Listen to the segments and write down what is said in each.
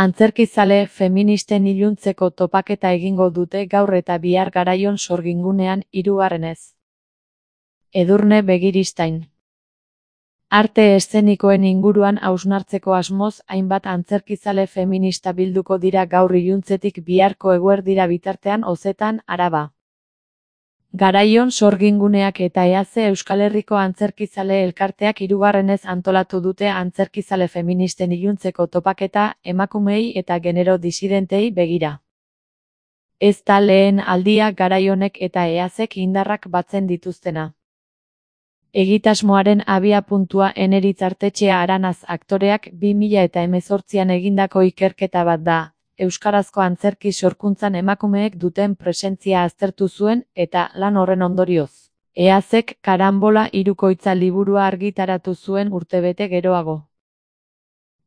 Antzerkizale feministen iluntzeko topaketa egingo dute gaur eta bihar Garaion sorgingunean 3. Edurne Begiristain. Arte eszenikoen inguruan hausnartzeko asmoz hainbat antzerkizale feminista bilduko dira gaur iluntzetik biharko eguerdira bitartean Ozetan, Araba. Garaion sorginguneak eta EAC Euskal Herriko Antzerkizale Elkarteak 3. antolatu dute antzerkizale feministen iluntzeko topaketa emakumeei eta genero disidentei begira. Ez da lehen aldia Garaionek eta EACek indarrak batzen dituztena. Egitasmoaren abiapuntua Eneritz Artetxea Aranaz aktoreak 2018an egindako ikerketa bat da. Euskarazko antzerki sorkuntzan emakumeek duten presentzia aztertu zuen eta lan horren ondorioz. EACek Karanbola hirukoitza liburua argitaratu zuen urtebete geroago.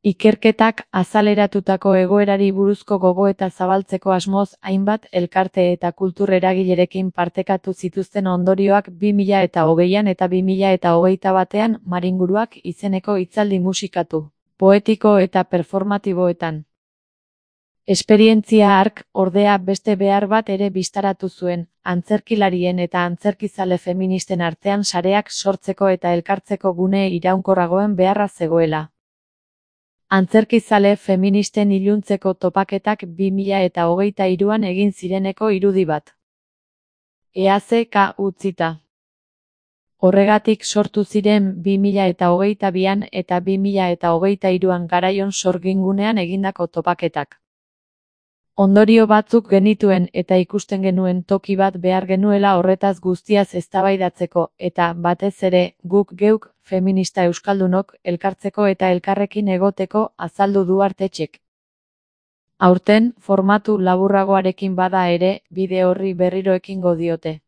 Ikerketak azaleratutako egoerari buruzko gogoeta zabaltzeko asmoz hainbat elkarte eta kultur eragilerekin partekatu zituzten ondorioak 2020an eta 2021an Maringuruak izeneko hitzaldi musikatu, poetiko eta performatiboetan. Esperientzia hark, ordea beste behar bat ere bistaratu zuen, antzerkilarien eta antzerkizale feministen artean sareak sortzeko eta elkartzeko gune iraunkorragoen beharra zegoela. Antzerkizale feministen iluntzeko topaketak 2023an egin zireneko irudi bat. EACK utzita. Horregatik sortu ziren 2022an eta 2023an Garaion sorgingunean egindako topaketak. Ondorio batzuk genituen eta ikusten genuen toki bat behar genuela horretaz guztiaz eztabaidatzeko eta, batez ere, guk geuk, feminista euskaldunok, elkartzeko eta elkarrekin egoteko azaldu du Artetxek. Aurten, formatu laburragoarekin bada ere, bide horri berriro ekingo diote.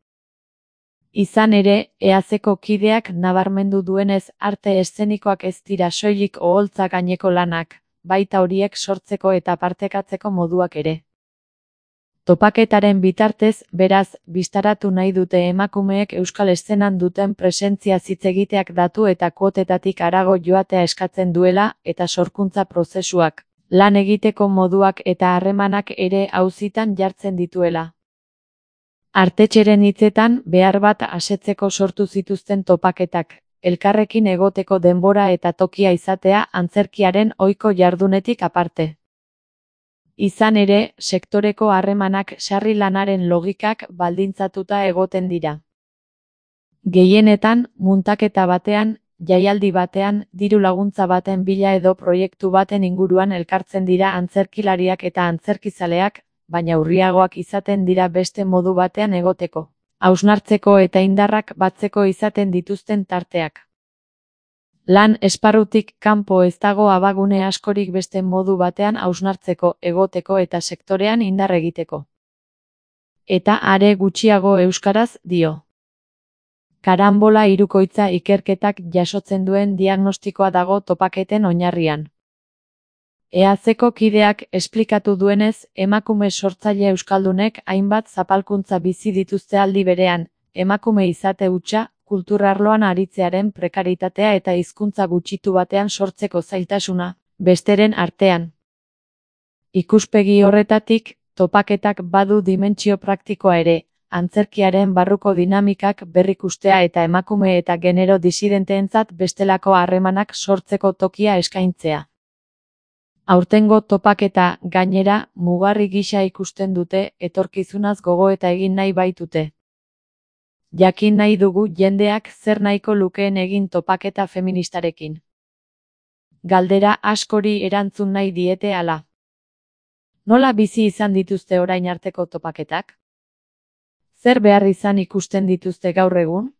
Izan ere, EACko kideak nabarmendu duenez arte eszenikoak ez dira soilik oholtza gaineko lanak, baita horiek sortzeko eta partekatzeko moduak ere. Topaketaren bitartez, beraz, bistaratu nahi dute emakumeek euskal eszenan duten presentzia hitz egiteak datu eta kuotetatik harago joatea eskatzen duela eta sorkuntza prozesuak, lan egiteko moduak eta harremanak ere auzitan jartzen dituela. Artetxeren hitzetan, behar bat asetzeko sortu zituzten topaketak, elkarrekin egoteko denbora eta tokia izatea antzerkiaren ohiko jardunetik aparte. Izan ere, sektoreko harremanak sarri lanaren logikak baldintzatuta egoten dira. Gehienetan, muntaketa batean, jaialdi batean, diru laguntza baten bila edo proiektu baten inguruan elkartzen dira antzerkilariak eta antzerkizaleak, baina urriagoak izaten dira beste modu batean egoteko, hausnartzeko eta indarrak batzeko izaten dituzten tarteak. Lan esparrutik kanpo ez dago abagune askorik beste modu batean hausnartzeko, egoteko eta sektorean indar egiteko. Eta are gutxiago euskaraz dio. Karanbola hirukoitza ikerketak jasotzen duen diagnostikoa dago topaketen oinarrian. EACko kideak esplikatu duenez, emakume sortzaile euskaldunek hainbat zapalkuntza bizi dituzte aldi berean, emakume izate hutsa, kulturarloan aritzearen prekaritatea eta hizkuntza gutxitu batean sortzeko zailtasuna, besteren artean. Ikuspegi horretatik, topaketak badu dimentsio praktikoa ere, antzerkiaren barruko dinamikak berrikustea eta emakume eta genero disidenteentzat bestelako harremanak sortzeko tokia eskaintzea. Aurtengo topaketa, gainera, mugarri gisa ikusten dute, etorkizunaz gogoeta egin nahi baitute. Jakin nahi dugu jendeak zer nahiko lukeen egin topaketa feministarekin. Galdera askori erantzun nahi diete hala. Nola bizi izan dituzte orain arteko topaketak? Zer behar izan ikusten dituzte gaur egun?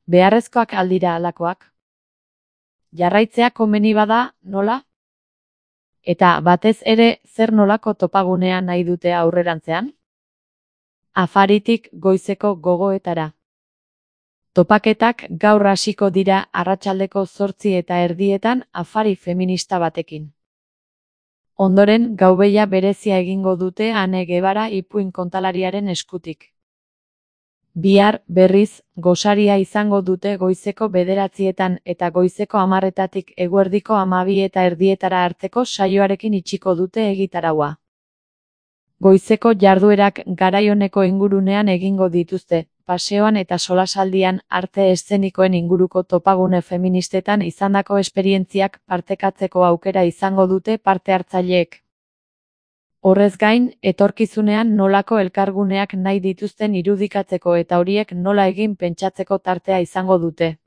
Beharrezkoak aldira halakoak? Jarraitzea komeni bada, nola? Eta batez ere, zer nolako topagunea nahi dute aurrerantzean? Afaritik goizeko gogoetara. Topaketak gaur hasiko dira arratsaldeko 8:30 afari feminista batekin. Ondoren gaubeia berezia egingo dute Ane Gebara ipuin kontalariaren eskutik. Bihar, berriz, gosaria izango dute goizeko 9:00 eta goizeko 10:00 eguerdiko 12:30 arteko saioarekin itxiko dute egitaraua. Goizeko jarduerak garai oneko ingurunean egingo dituzte, paseoan eta solasaldian, arte eszenikoen inguruko topagune feministetan izandako esperientziak partekatzeko aukera izango dute parte hartzaileek. Horrez gain, etorkizunean nolako elkarguneak nahi dituzten irudikatzeko eta horiek nola egin pentsatzeko tartea izango dute.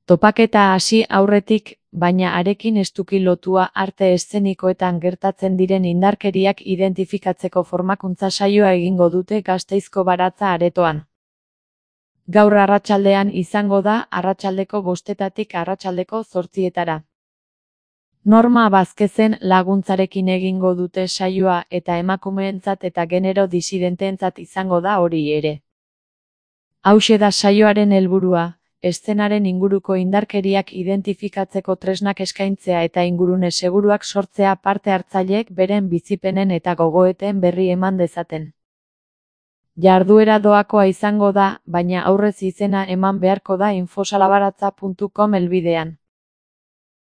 Topaketa hasi aurretik, baina harekin estuki lotua arte eszenikoetan gertatzen diren indarkeriak identifikatzeko formakuntza saioa egingo dute Gasteizko Baratza aretoan. Gaur arratsaldean izango da arratsaldeko 5:00 arratsaldeko 8:00. Norma Bazkezen laguntzarekin egingo dute saioa eta emakumeentzat eta genero disidenteentzat izango da hori ere. Hauxe da saioaren helburua, eszenaren inguruko indarkeriak identifikatzeko tresnak eskaintzea eta ingurune seguruak sortzea parte hartzaileek beren bizipenen eta gogoeten berri eman dezaten. Jarduera doakoa izango da, baina aurrez izena eman beharko da infosalabaratza.com helbidean.